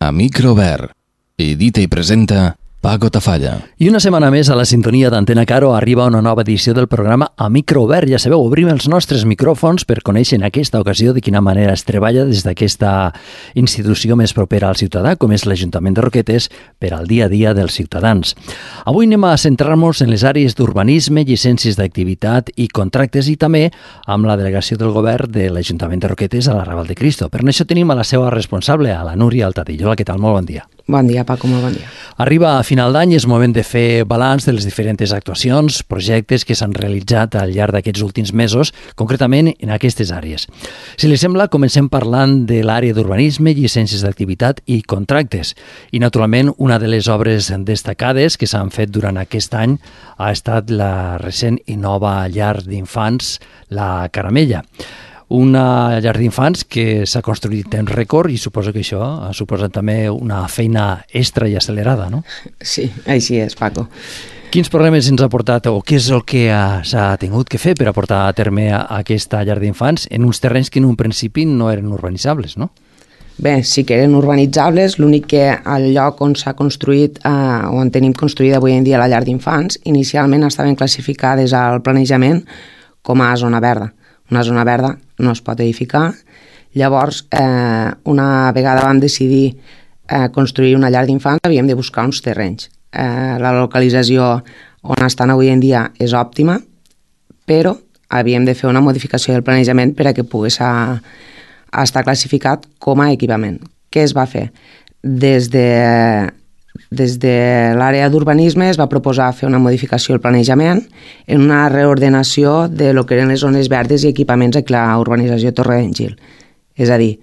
a micro obert. Edita i presenta Paco Tafalla. I una setmana més a la sintonia d'Antena Caro arriba una nova edició del programa A Micro Obert. Ja sabeu, obrim els nostres micròfons per conèixer en aquesta ocasió de quina manera es treballa des d'aquesta institució més propera al ciutadà, com és l'Ajuntament de Roquetes, per al dia a dia dels ciutadans. Avui anem a centrar-nos en les àrees d'urbanisme, llicències d'activitat i contractes i també amb la delegació del govern de l'Ajuntament de Roquetes a la Raval de Cristo. Per això tenim a la seva responsable, a la Núria Altadillo. Hola, què tal? Molt bon dia. Bon dia, Paco, molt bon dia. Arriba a final d'any, és moment de fer balanç de les diferents actuacions, projectes que s'han realitzat al llarg d'aquests últims mesos, concretament en aquestes àrees. Si li sembla, comencem parlant de l'àrea d'urbanisme, llicències d'activitat i contractes. I, naturalment, una de les obres destacades que s'han fet durant aquest any ha estat la recent i nova llar d'infants, la Caramella. Una llar d'infants que s'ha construït en rècord i suposo que això ha suposat també una feina extra i accelerada, no? Sí, així és, Paco. Quins problemes ens ha portat o què és el que s'ha tingut que fer per a portar a terme aquesta llar d'infants en uns terrenys que en un principi no eren urbanitzables, no? Bé, sí que eren urbanitzables, l'únic que al lloc on s'ha construït, on tenim construïda avui en dia la llar d'infants, inicialment estaven classificades al planejament com a zona verda. Una zona verda no es pot edificar. Llavors, una vegada vam decidir construir una llar d'infants, havíem de buscar uns terrenys. La localització on estan avui en dia és òptima, però havíem de fer una modificació del planejament per a que pogués estar classificat com a equipament. Què es va fer? Des de l'àrea d'urbanisme es va proposar fer una modificació del planejament en una reordenació de lo que eren les zones verdes i equipaments a la urbanització Torre d'en Gil. És a dir,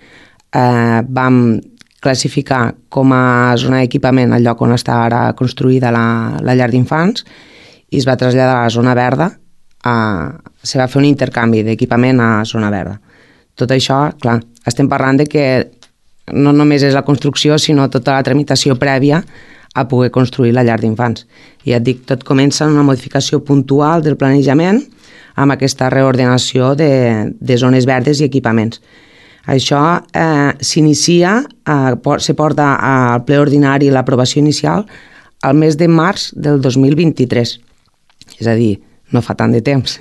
vam classificar com a zona d'equipament el lloc on està ara construïda la llar d'infants i es va traslladar a la zona verda, se va fer un intercanvi d'equipament a zona verda. Tot això, clar, estem parlant de que no només és la construcció, sinó tota la tramitació prèvia a poder construir la llar d'infants. I et dic, tot comença en una modificació puntual del planejament amb aquesta reordenació de zones verdes i equipaments. Això s'inicia, se porta al ple ordinari l'aprovació inicial al mes de març del 2023. És a dir, no fa tant de temps.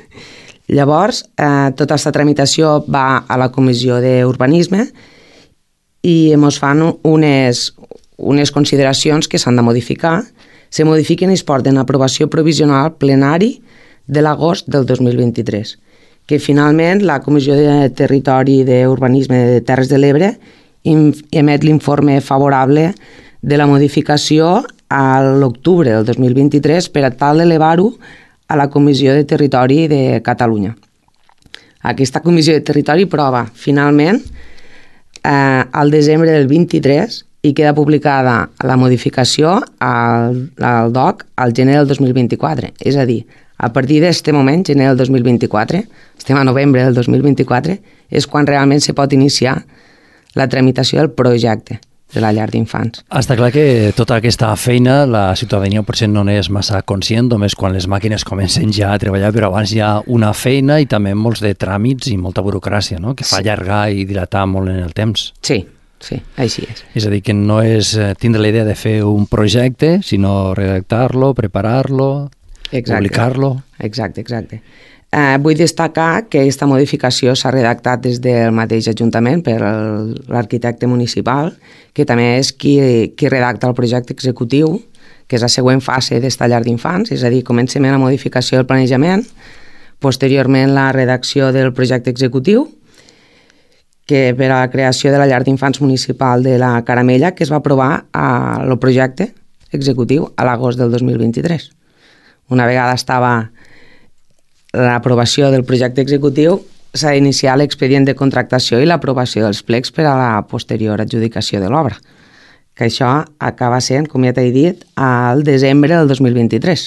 Llavors, tota aquesta tramitació va a la Comissió d'Urbanisme i ens fan unes consideracions que s'han de modificar. Se modifiquen i es porten a aprovació provisional plenari de l'agost del 2023, que finalment la Comissió de Territori i d'Urbanisme de Terres de l'Ebre emet l'informe favorable de la modificació a l'octubre del 2023 per a tal d'elevar-ho a la Comissió de Territori de Catalunya. Aquesta Comissió de Territori prova finalment al desembre del 23 i queda publicada la modificació al DOC al gener del 2024. És a dir, a partir d'aquest moment, gener del 2024, estem a novembre del 2024, és quan realment se pot iniciar la tramitació del projecte de la llar d'infants. Està clar que tota aquesta feina la ciutadania potser no n'és massa conscient, només quan les màquines comencen ja a treballar, però abans hi ha una feina i també molts de tràmits i molta burocràcia, no? Que fa allargar i dilatar molt en el temps. Sí, així és. És a dir, que no és tindre la idea de fer un projecte, sinó redactar-lo, preparar-lo, publicar-lo. Exacte. Vull destacar que aquesta modificació s'ha redactat des del mateix Ajuntament per l'arquitecte municipal, que també és qui redacta el projecte executiu, que és la següent fase d'esta llar d'infants, és a dir, comencem la modificació del planejament, posteriorment la redacció del projecte executiu, que per a la creació de la llar d'infants municipal de la Caramella, que es va aprovar el projecte executiu a l'agost del 2023. Una vegada estava l'aprovació del projecte executiu, s'ha d'iniciar l'expedient de contractació i l'aprovació dels plecs per a la posterior adjudicació de l'obra, que això acaba sent, com ja t'he dit, al desembre del 2023.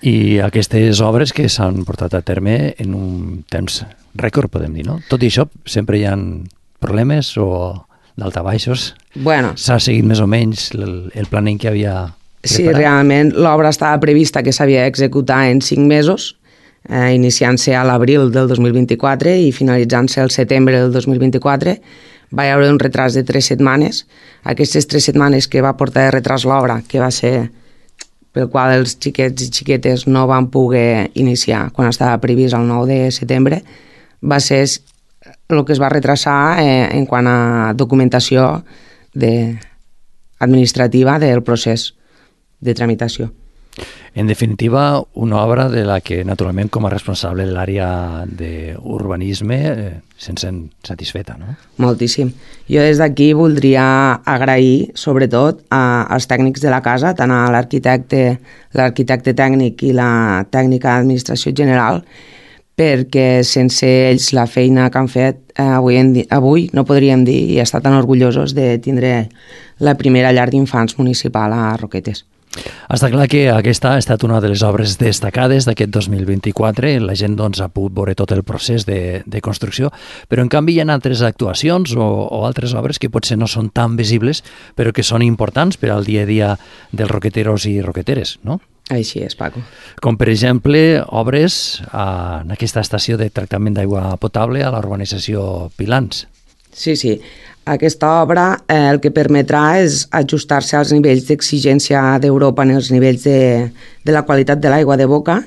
I aquestes obres que s'han portat a terme en un temps rècord, podem dir, no? Tot i això, sempre hi ha problemes o daltabaixos? Bueno. S'ha seguit més o menys el planning que havia preparat? Sí, realment l'obra estava prevista que s'havia d'executar en 5 mesos, iniciant-se a l'abril del 2024 i finalitzant-se el setembre del 2024, va haver un retras de 3 setmanes. Aquestes 3 setmanes que va portar de retras l'obra, que va ser pel qual els xiquets i xiquetes no van poder iniciar quan estava previst el 9 de setembre, va ser el que es va retrasar en quant a documentació administrativa del procés de tramitació. En definitiva, una obra de la que, naturalment, com a responsable de l'àrea d'urbanisme, se'n sent satisfeta, no? Moltíssim. Jo des d'aquí voldria agrair, sobretot, als tècnics de la casa, tant a l'arquitecte tècnic i la tècnica d'administració general, perquè sense ells la feina que han fet avui no podríem dir i estar tan orgullosos de tindre la primera llar d'infants municipal a Roquetes. Està clar que aquesta ha estat una de les obres destacades d'aquest 2024. La gent ha pogut veure tot el procés de construcció, però en canvi hi ha altres actuacions o altres obres que potser no són tan visibles, però que són importants per al dia a dia dels roqueteros i roqueteres, no? Així és, Paco. Com, per exemple, obres en aquesta estació de tractament d'aigua potable a la urbanització Pilans. Sí. Aquesta obra el que permetrà és ajustar-se als nivells d'exigència d'Europa en els nivells de la qualitat de l'aigua de boca,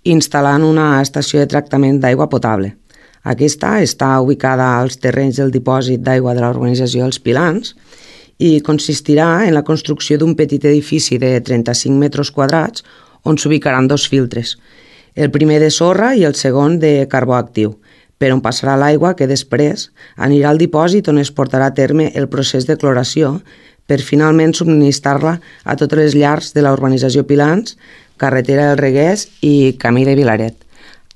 instal·lant una estació de tractament d'aigua potable. Aquesta està ubicada als terrenys del dipòsit d'aigua de la urbanització dels Pilans i consistirà en la construcció d'un petit edifici de 35 metres quadrats on s'ubicaran 2 filtres, el primer de sorra i el segon de carbó actiu, per on passarà l'aigua que després anirà al dipòsit on es portarà a terme el procés de cloració per finalment subministrar-la a totes les llars de la urbanització Pilans, carretera del Reguers i camí de Vilaret.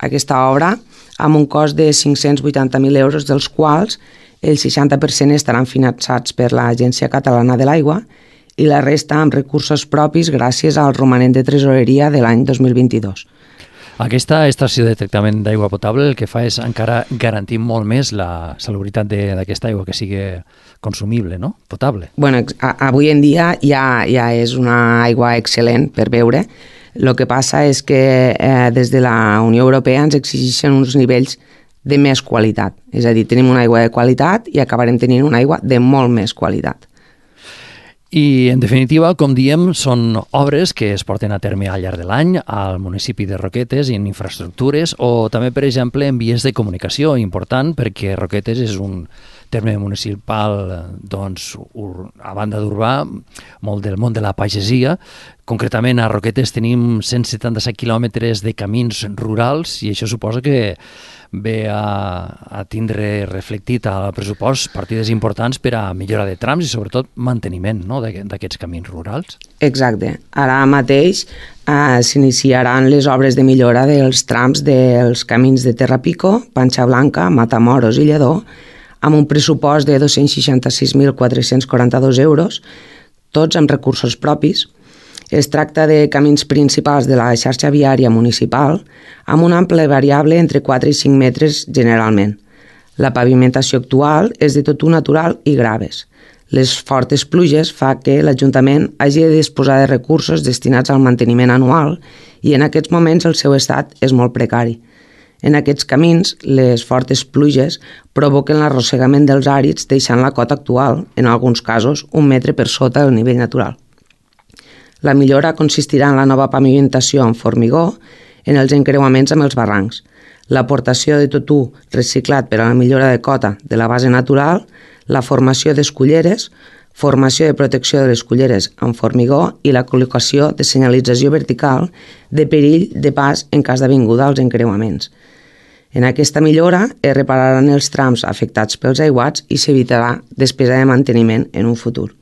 Aquesta obra, amb un cost de 580.000 euros, dels quals el 60% estaran finançats per l'Agència Catalana de l'Aigua i la resta amb recursos propis gràcies al romanent de tresoreria de l'any 2022. Aquesta estació de tractament d'aigua potable el que fa és encara garantir molt més la salubritat d'aquesta aigua, que sigui consumible, no? Potable. Bueno, avui en dia ja és una aigua excel·lent per beure. El que passa és que des de la Unió Europea ens exigeixen uns nivells de més qualitat. És a dir, tenim una aigua de qualitat i acabarem tenint una aigua de molt més qualitat. I, en definitiva, com diem, són obres que es porten a terme al llarg de l'any al municipi de Roquetes i en infraestructures o també, per exemple, en vies de comunicació, important perquè Roquetes és un terme municipal, doncs, a banda d'urbà, molt del món de la pagesia. Concretament, a Roquetes tenim 177 quilòmetres de camins rurals i això suposa que ve a tindre reflectit al pressupost partides importants per a millora de trams i sobretot manteniment, no?, d'aquests camins rurals. Exacte. Ara mateix s'iniciaran les obres de millora dels trams dels camins de Terrapico, Panxa Blanca, Matamoros i Lledó, amb un pressupost de 266.442 euros, tots amb recursos propis. Es tracta de camins principals de la xarxa viària municipal amb un ample variable entre 4 i 5 metres generalment. La pavimentació actual és de totú natural i graves. Les fortes pluges fa que l'Ajuntament hagi de disposar de recursos destinats al manteniment anual i en aquests moments el seu estat és molt precari. En aquests camins, les fortes pluges provoquen l'arrossegament dels àrids deixant la cota actual, en alguns casos, 1 metre per sota del nivell natural. La millora consistirà en la nova pavimentació amb formigó en els encreuaments amb els barrancs, l'aportació de totú reciclat per a la millora de cota de la base natural, la formació d'esculleres, formació de protecció de les culleres amb formigó i la col·locació de senyalització vertical de perill de pas en cas d'avinguda als encreuaments. En aquesta millora es repararan els trams afectats pels aiguats i s'evitarà despesa de manteniment en un futur.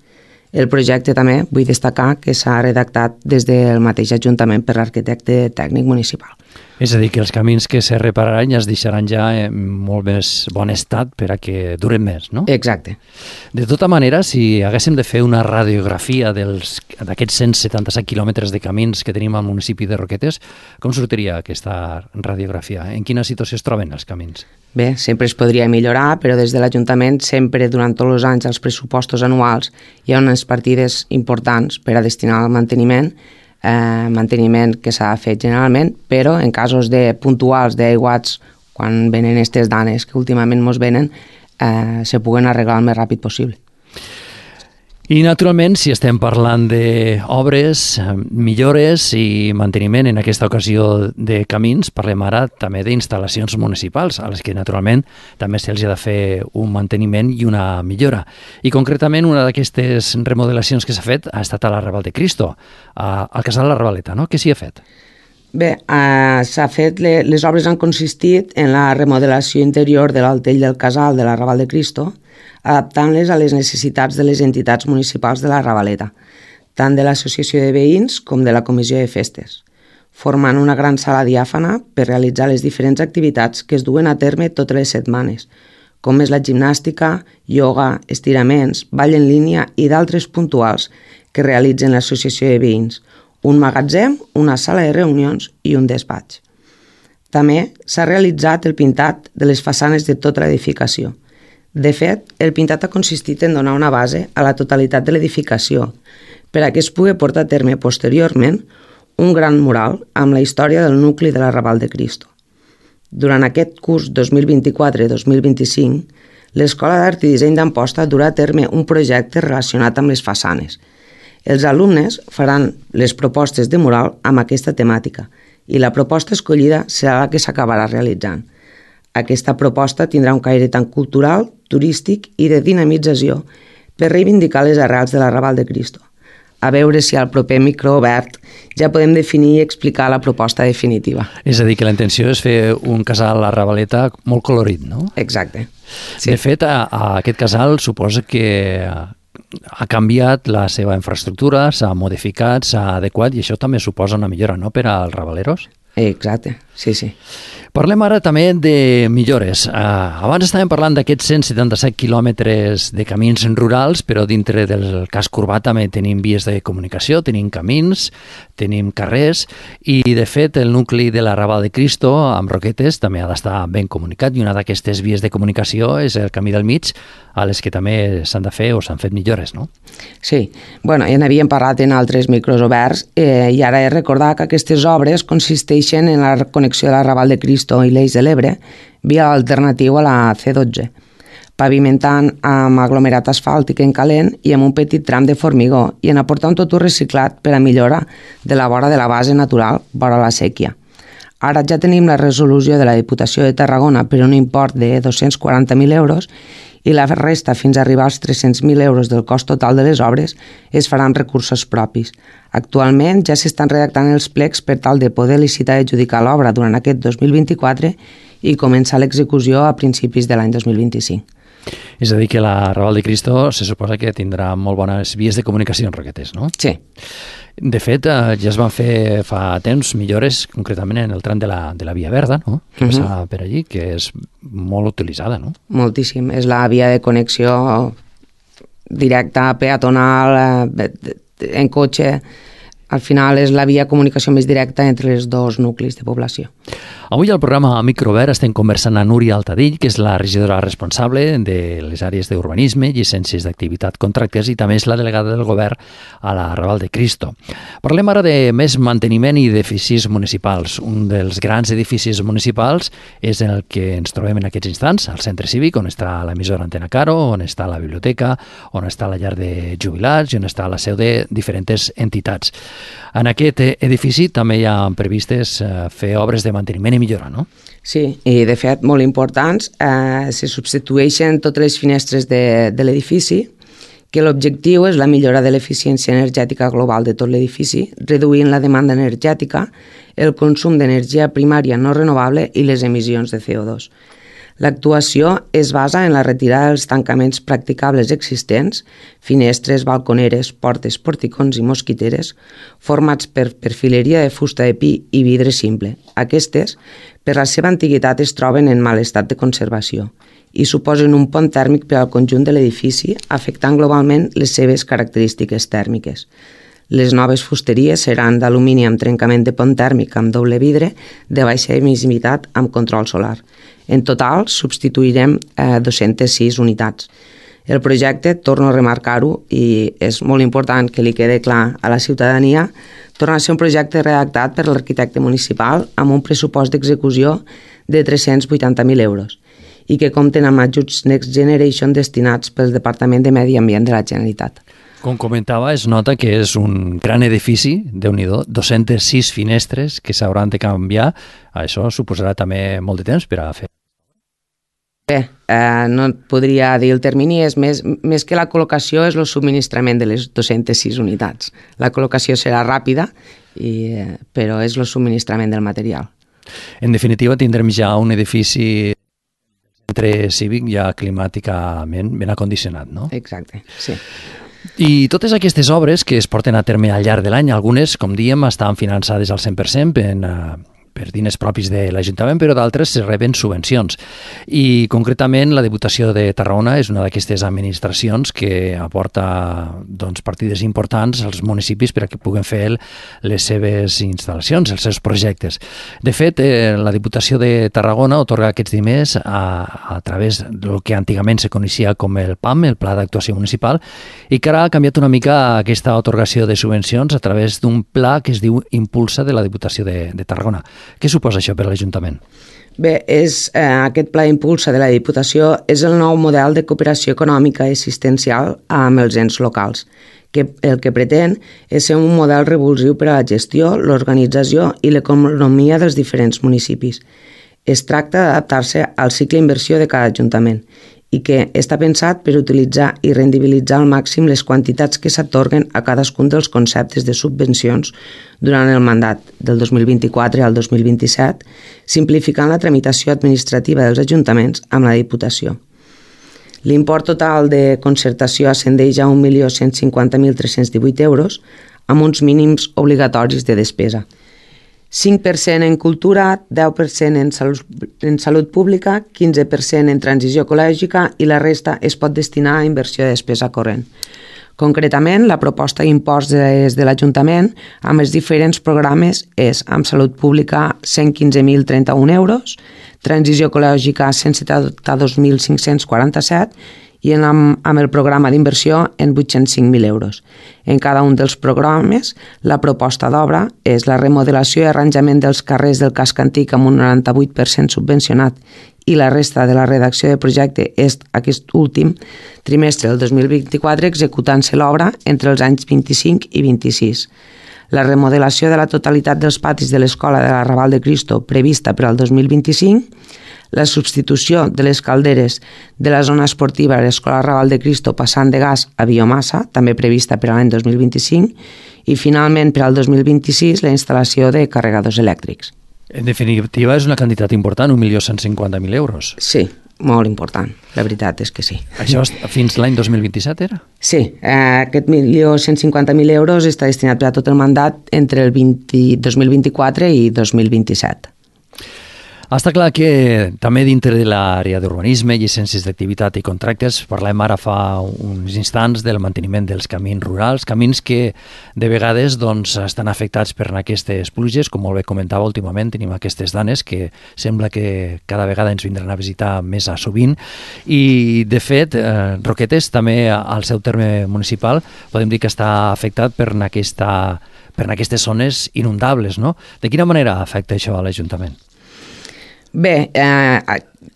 El projecte també vull destacar que s'ha redactat des del mateix Ajuntament per l'arquitecte tècnic municipal. És a dir, que els camins que se repararan ja es deixaran ja en molt més bon estat per a que duren més, no? Exacte. De tota manera, si haguéssim de fer una radiografia d'aquests 177 quilòmetres de camins que tenim al municipi de Roquetes, com sortiria aquesta radiografia? En quina situació es troben els camins? Bé, sempre es podria millorar, però des de l'Ajuntament sempre durant tots els anys als pressupostos anuals hi ha unes partides importants per a destinar al manteniment que s'ha fet generalment, però en casos puntuals d'aiguats, quan venen aquestes danes que últimament ens venen, se puguen arreglar el més ràpid possible. I, naturalment, si estem parlant d'obres, millores i manteniment en aquesta ocasió de camins, parlem ara també d'instal·lacions municipals, a les que, naturalment, també se'ls ha de fer un manteniment i una millora. I, concretament, una d'aquestes remodelacions que s'ha fet ha estat a l'Arrabal de Cristo, al casal La Ravaleta, no? Què s'hi ha fet? Bé, s'ha fet, les obres han consistit en la remodelació interior de l'altell del casal de l'Arrabal de Cristo, adaptant-les a les necessitats de les entitats municipals de la Ravaleta, tant de l'Associació de Veïns com de la Comissió de Festes, formant una gran sala diàfana per realitzar les diferents activitats que es duen a terme totes les setmanes, com és la gimnàstica, ioga, estiraments, ball en línia i d'altres puntuals que realitzen l'Associació de Veïns, un magatzem, una sala de reunions i un despatx. També s'ha realitzat el pintat de les façanes de tota l'edificació. De fet, el pintat ha consistit en donar una base a la totalitat de l'edificació per a que es pugui portar a terme posteriorment un gran mural amb la història del nucli de l'Arrabal de Cristo. Durant aquest curs 2024-2025, l'Escola d'Art i Disseny d'Amposta durà a terme un projecte relacionat amb les façanes. Els alumnes faran les propostes de mural amb aquesta temàtica i la proposta escollida serà la que s'acabarà realitzant. Aquesta proposta tindrà un caire tant cultural, turístic i de dinamització per reivindicar les arrels de l'Arrabal de Cristo. A veure si al proper micro obert ja podem definir i explicar la proposta definitiva. És a dir, que la intenció és fer un casal a la Ravaleta molt colorit, no? Exacte. Sí. De fet, aquest casal suposa que ha canviat la seva infraestructura, s'ha modificat, s'ha adequat, i això també suposa una millora, no?, per als ravaleros. Exacte, sí, sí. Parlem ara també de millores. Abans estàvem parlant d'aquests 177 quilòmetres de camins rurals, però dintre del casc urbà també tenim vies de comunicació, tenim camins, tenim carrers, i de fet el nucli de l'Arrabal de Cristo, amb Roquetes, també ha d'estar ben comunicat, i una d'aquestes vies de comunicació és el Camí del Mig, a les que també s'han de fer o s'han fet millores, no? Sí, bueno, ja n'havíem parlat en altres micros oberts i ara he recordat que aquestes obres consisteixen en la connexió de l'Arrabal de Cristo i l'Eix de l'Ebre via l'alternatiu a la C12, pavimentant amb aglomerat asfàltic en calent i amb un petit tram de formigó i en aportar un totú reciclat per a millora de la vora de la base natural vora la sèquia. Ara ja tenim la resolució de la Diputació de Tarragona per un import de 240.000 euros i la resta fins a arribar als 300.000 euros del cost total de les obres es farà amb recursos propis. Actualment ja s'estan redactant els plecs per tal de poder licitar i adjudicar l'obra durant aquest 2024 i començar l'execució a principis de l'any 2025. És a dir, que l'Arrabal de Cristo se suposa que tindrà molt bones vies de comunicació en Roquetes, no? Sí. De fet, ja es van fer fa temps millores, concretament en el tram de la Via Verda, no?, que passa per allí, que és molt utilitzada, no? Moltíssim. És la via de connexió directa, peatonal, en cotxe. Al final és la via de comunicació més directa entre els dos nuclis de població. Avui al programa Microobert estem conversant amb Núria Altadill, que és la regidora responsable de les àrees d'urbanisme, llicències d'activitat, contractes, i també és la delegada del govern a l'Arrabal de Cristo. Parlem ara de més manteniment i d'edificis municipals. Un dels grans edificis municipals és el que ens trobem en aquests instants, al centre cívic, on està l'emissora Antena Caro, on està la biblioteca, on està la llar de jubilats i on està la seu de diferents entitats. En aquest edifici també hi ha previstes fer obres de manteniment i millora, no? Sí, i de fet molt importants. Se substitueixen totes les finestres de l'edifici, que l'objectiu és la millora de l'eficiència energètica global de tot l'edifici, reduint la demanda energètica, el consum d'energia primària no renovable i les emissions de CO2. L'actuació es basa en la retirada dels tancaments practicables existents, finestres, balconeres, portes, porticons i mosquiteres, formats per perfileria de fusta de pi i vidre simple. Aquestes, per la seva antiguitat, es troben en mal estat de conservació i suposen un pont tèrmic per al conjunt de l'edifici, afectant globalment les seves característiques tèrmiques. Les noves fusteries seran d'alumini amb trencament de pont tèrmic amb doble vidre de baixa emissivitat amb control solar. En total, substituirem 206 unitats. El projecte, torno a remarcar-ho, i és molt important que li quede clar a la ciutadania, torna a ser un projecte redactat per l'arquitecte municipal amb un pressupost d'execució de 380.000 euros i que compten amb ajuts Next Generation destinats pel Departament de Medi Ambient de la Generalitat. Com comentava, es nota que és un gran edifici, Déu-n'hi-do, 206 finestres que s'hauran de canviar. Això suposarà també molt de temps per a fer. Bé, no et podria dir el termini, és més que la col·locació és el subministrament de les 206 unitats. La col·locació serà ràpida, però és el subministrament del material. En definitiva, tindrem ja un edifici centre cívic ja climàticament ben acondicionat, no? Exacte, sí. I totes aquestes obres que es porten a terme al llarg de l'any, algunes, com diem, estan finançades al 100% per diners propis de l'Ajuntament, però d'altres se reben subvencions. I concretament la Diputació de Tarragona és una d'aquestes administracions que aporta partides importants als municipis per a que puguen fer les seves instal·lacions, els seus projectes. De fet, la Diputació de Tarragona otorga aquests diners a través del que antigament se coneixia com el PAM, el Pla d'Actuació Municipal, i que ara ha canviat una mica aquesta otorgació de subvencions a través d'un pla que es diu Impulsa de la Diputació de Tarragona. Què suposa això per a l'Ajuntament? Bé, aquest pla Impulsa de la Diputació és el nou model de cooperació econòmica i assistencial amb els ens locals, que el que pretén és ser un model revulsiu per a la gestió, l'organització i l'economia dels diferents municipis. Es tracta d'adaptar-se al cicle d'inversió de cada ajuntament i que està pensat per utilitzar i rendibilitzar al màxim les quantitats que s'atorguen a cadascun dels conceptes de subvencions durant el mandat del 2024 al 2027, simplificant la tramitació administrativa dels ajuntaments amb la Diputació. L'import total de concertació ascendeix a 1.150.318 euros, amb uns mínims obligatoris de despesa. 5% en cultura, 10% en salut pública, 15% en transició ecològica i la resta es pot destinar a inversió de despesa corrent. Concretament, la proposta d'impost des de l'Ajuntament amb els diferents programes és amb salut pública 115.031 euros, transició ecològica 172.547 i amb el programa d'inversió en 805.000 euros. En cada un dels programes, la proposta d'obra és la remodelació i arranjament dels carrers del casc antic amb un 98% subvencionat i la resta de la redacció de projecte és aquest últim trimestre del 2024 executant-se l'obra entre els anys 25 i 26. La remodelació de la totalitat dels patis de l'Escola de la Raval de Cristo prevista per al 2025, la substitució de les calderes de la zona esportiva a l'Escola Raval de Cristo passant de gas a biomassa, també prevista per a l'any 2025, i finalment per al 2026 la instal·lació de carregadors elèctrics. En definitiva, és una quantitat important, 1.150.000 euros. Sí, molt important, la veritat és que sí. Això fins l'any 2027 era? Sí, aquest 1.150.000 euros està destinat per a tot el mandat entre el 2024 i 2027. Està clar que també dintre de l'àrea d'urbanisme, llicències d'activitat i contractes, parlem ara fa uns instants del manteniment dels camins rurals, camins que de vegades estan afectats per aquestes pluges, com molt bé comentava últimament, tenim aquestes danes que sembla que cada vegada ens vindran a visitar més a sovint i de fet Roquetes també al seu terme municipal podem dir que està afectat per aquestes zones inundables, no? De quina manera afecta això a l'Ajuntament? Bé,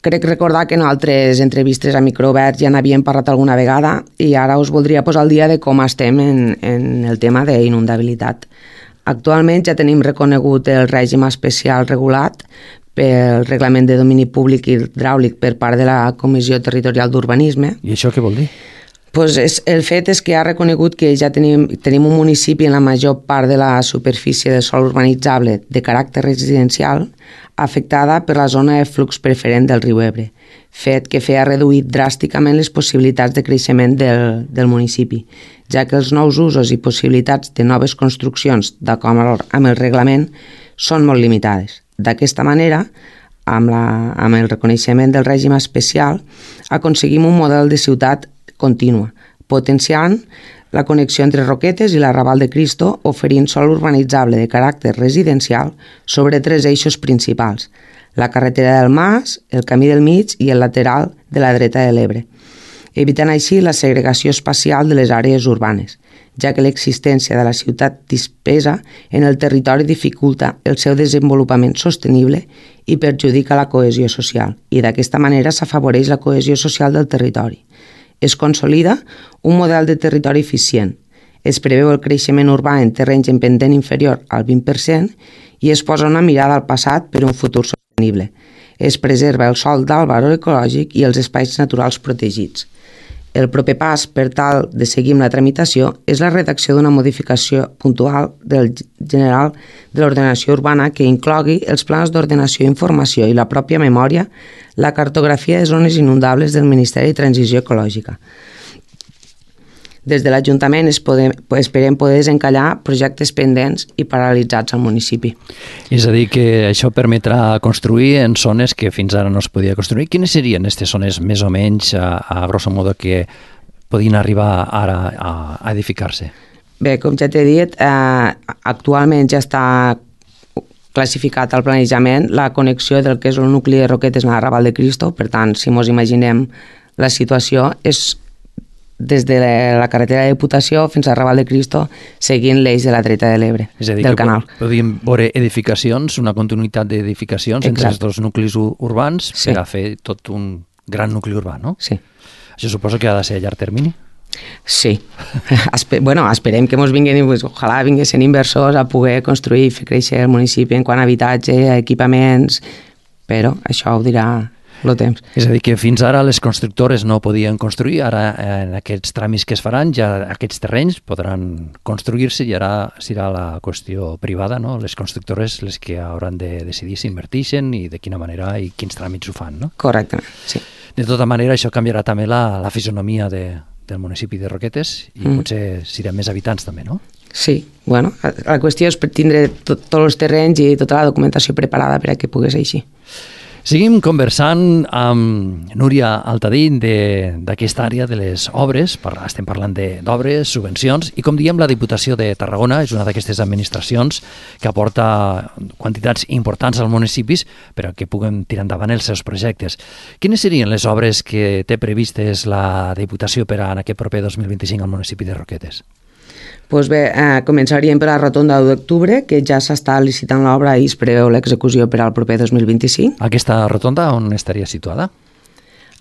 crec recordar que en altres entrevistes a micro obert ja n'havíem parlat alguna vegada i ara us voldria posar al dia de com estem en el tema d'inundabilitat. Actualment ja tenim reconegut el règim especial regulat pel Reglament de Domini Públic i Hidràulic per part de la Comissió Territorial d'Urbanisme. I això què vol dir? El fet és que ha reconegut que ja tenim un municipi en la major part de la superfície de sòl urbanitzable de caràcter residencial afectada per la zona de flux preferent del riu Ebre, fet que feia reduir dràsticament les possibilitats de creixement del municipi, ja que els nous usos i possibilitats de noves construccions d'acord amb el reglament són molt limitades. D'aquesta manera, amb el reconeixement del règim especial, aconseguim un model de ciutat contínua, potenciant la connexió entre Roquetes i la Raval de Cristo, oferint sòl urbanitzable de caràcter residencial sobre 3 eixos principals: la carretera del Mas, el camí del mig i el lateral de la dreta de l'Ebre. evitant així la segregació espacial de les àrees urbanes, ja que l'existència de la ciutat dispesa en el territori dificulta el seu desenvolupament sostenible i perjudica la cohesió social, i d'aquesta manera s'afavoreix la cohesió social del territori. Es consolida un model de territori eficient, es preveu el creixement urbà en terrenys en pendent inferior al 20% i es posa una mirada al passat per un futur sostenible. Es preserva el sòl d'alt valor ecològic i els espais naturals protegits. El proper pas, per tal de seguir amb la tramitació, és la redacció d'una modificació puntual del general de l'ordenació urbana que inclogui els plans d'ordenació i informació i la pròpia memòria, la cartografia de zones inundables del Ministeri de Transició Ecològica. Des de l'Ajuntament esperem poder desencallar projectes pendents i paralitzats al municipi. És a dir, que això permetrà construir en zones que fins ara no es podia construir. Quines serien aquestes zones més o menys, a grosso modo, que podien arribar ara a edificar-se? Bé, com ja t'he dit, actualment ja està classificat al planejament la connexió del que és el nucli de Roquetes amb la Raval de Cristo. Per tant, si ens imaginem la situació, és des de la carretera de Diputació fins a Raval de Cristo, seguint l'eix de la dreta de l'Ebre, del canal. És a dir, que podríem veure edificacions, una continuïtat d'edificacions entre els dos nuclis urbans per a fer tot un gran nucli urbà, no? Sí. Això suposo que ha de ser a llarg termini? Sí. Esperem que ens vinguin, ojalà vinguessin inversors a poder construir i fer créixer el municipi en quant a habitatge, a equipaments, però això ho dirà el temps. És a dir, que fins ara les constructores no podien construir, ara en aquests tràmits que es faran, ja aquests terrenys podran construir-se i ara serà la qüestió privada, no? Les constructores les que hauran de decidir si inverteixen i de quina manera i quins tràmits ho fan, no? Correctament, sí. De tota manera, això canviarà també la fisonomia del municipi de Roquetes i potser serà més habitants també, no? Sí, bueno, la qüestió és tindre tots els terrenys i tota la documentació preparada per a que pogués així. Seguim conversant amb Núria Altadí d'aquesta àrea de les obres. Estem parlant d'obres, subvencions, i com diem, la Diputació de Tarragona és una d'aquestes administracions que aporta quantitats importants als municipis per a que puguem tirar endavant els seus projectes. Quines serien les obres que té previstes la Diputació per a aquest proper 2025 al municipi de Roquetes? Doncs bé, començaríem per la rotonda d'octubre, que ja s'està licitant l'obra i es preveu l'execució per al proper 2025. Aquesta rotonda on estaria situada?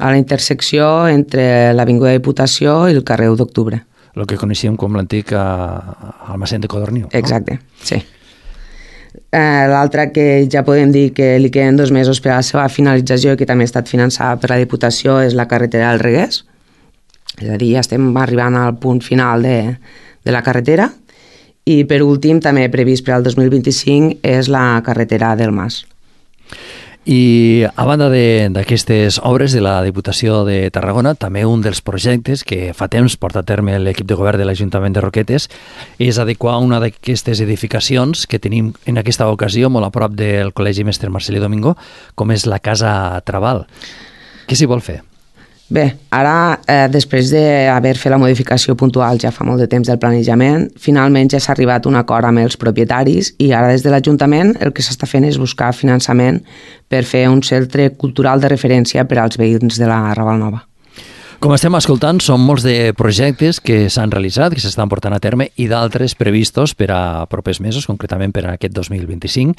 A la intersecció entre l'Avinguda de Diputació i el carrer 1 d'octubre. El que coneixíem com l'antic almacén de Codorniu, no? Exacte, sí. L'altra que ja podem dir que li queden 2 mesos per a la seva finalització i que també ha estat finançada per la Diputació és la carretera del Reguers. És a dir, ja estem arribant al punt final de la carretera, i per últim també previst per al 2025 és la carretera del Mas. I a banda d'aquestes obres de la Diputació de Tarragona, també un dels projectes que fa temps porta a terme l'equip de govern de l'Ajuntament de Roquetes és adequar una d'aquestes edificacions que tenim en aquesta ocasió molt a prop del Col·legi Mestre Marcelí Domingo, com és la Casa Trabal. Què s'hi vol fer? Bé, ara, després d'haver fet la modificació puntual ja fa molt de temps del planejament, finalment ja s'ha arribat a un acord amb els propietaris i ara des de l'Ajuntament el que s'està fent és buscar finançament per fer un centre cultural de referència per als veïns de la Raval Nova. Com estem escoltant, són molts de projectes que s'han realitzat, que s'estan portant a terme i d'altres previstos per a propers mesos, concretament per a aquest 2025.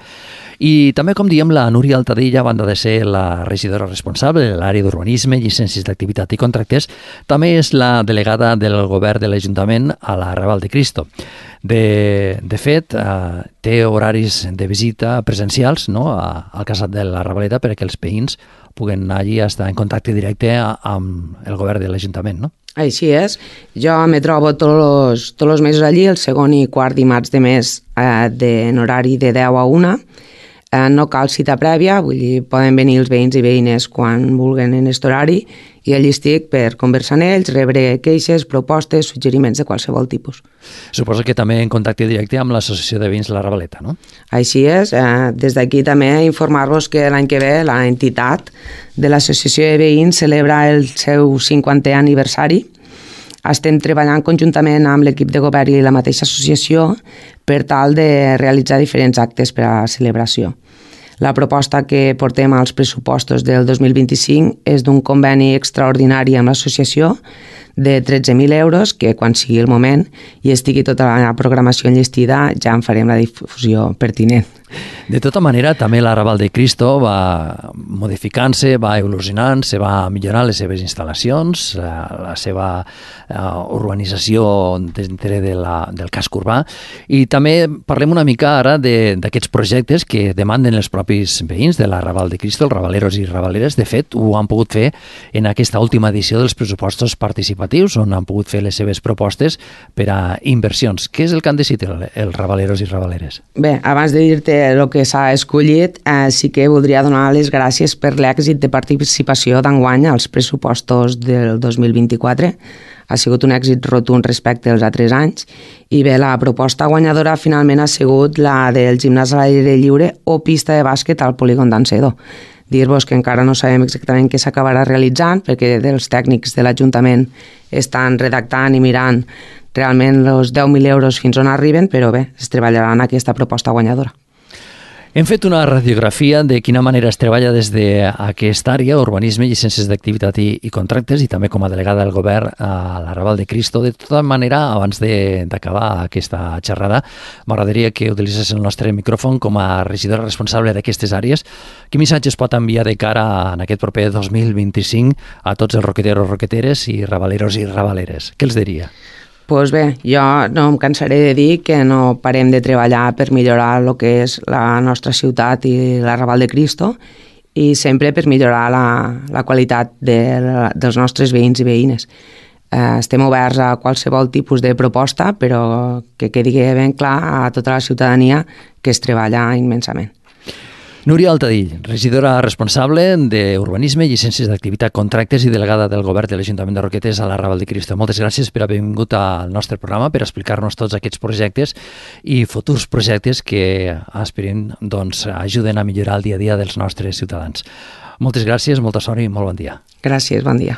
I també, com diem, la Núria Altadilla, a banda de ser la regidora responsable de l'àrea d'urbanisme, llicències d'activitat i contractes, també és la delegada del govern de l'Ajuntament a la Raval de Cristo. De fet, té horaris de visita presencials, no?, al casat de la Ravaleta perquè els veïns puguen anar allí a estar en contacte directe amb el govern de l'Ajuntament, no? Així és. Jo me trobo tots els mesos allí, el segon i quart dimarts de mes en horari de 10 a 1. No cal cita prèvia, vull dir, poden venir els veïns i veïnes quan vulguin en aquest horari i allí estic per conversar amb ells, rebre queixes, propostes, suggeriments de qualsevol tipus. Suposo que també en contacte directe amb l'Associació de Veïns de la Ravaleta, no? Així és. Des d'aquí també informar-vos que l'any que ve l'entitat de l'Associació de Veïns celebra el seu 50è aniversari. Estem treballant conjuntament amb l'equip de govern i la mateixa associació per tal de realitzar diferents actes per a la celebració. La proposta que portem als pressupostos del 2025 és d'un conveni extraordinari amb l'associació de 13.000 euros, que quan sigui el moment i estigui tota la programació enllestida ja en farem la difusió pertinent. De tota manera, també l'Arrabal de Cristo va modificant-se, va evolucionant, se va millorant les seves instal·lacions, la seva urbanització dintre del casc urbà, i també parlem una mica ara d'aquests projectes que demanden els propis veïns de l'Arrabal de Cristo, els rabaleros i rabaleres. De fet, ho han pogut fer en aquesta última edició dels pressupostos participatius, on han pogut fer les seves propostes per a inversions. Què és el que han decidit els rabaleros i rabaleres? Bé, abans de dir-te el que s'ha escollit, sí que voldria donar les gràcies per l'èxit de participació d'enguany als pressupostos del 2024. Ha sigut un èxit rotund respecte als altres anys i bé, la proposta guanyadora finalment ha sigut la del gimnàs a l'aire lliure o pista de bàsquet al polígon d'Ancedo. Dir-vos que encara no sabem exactament què s'acabarà realitzant perquè els tècnics de l'Ajuntament estan redactant i mirant realment els 10.000 euros fins on arriben, però bé, es treballarà en aquesta proposta guanyadora. Hem fet una radiografia de quina manera es treballa des d'aquesta àrea, urbanisme, llicències d'activitat i contractes, i també com a delegada del govern a l'Arrabal de Cristo. De tota manera, abans d'acabar aquesta xerrada, m'agradaria que utilitzés el nostre micròfon com a regidora responsable d'aquestes àrees. Quin missatge es pot enviar de cara en aquest proper 2025 a tots els roqueteros, roqueteres i rabaleros i rabaleres? Què els diria? Doncs bé, jo no em cansaré de dir que no parem de treballar per millorar el que és la nostra ciutat i l'Arrabal de Cristo i sempre per millorar la qualitat dels nostres veïns i veïnes. Estem oberts a qualsevol tipus de proposta, però que quedi ben clar a tota la ciutadania que es treballa immensament. Núria Altadill, regidora responsable d'Urbanisme, llicències d'activitat, contractes i delegada del govern de l'Ajuntament de Roquetes a l'Arrabal de Cristo. Moltes gràcies per haver vingut al nostre programa per explicar-nos tots aquests projectes i futurs projectes que esperem ajuden a millorar el dia a dia dels nostres ciutadans. Moltes gràcies, molta sort i molt bon dia. Gràcies, bon dia.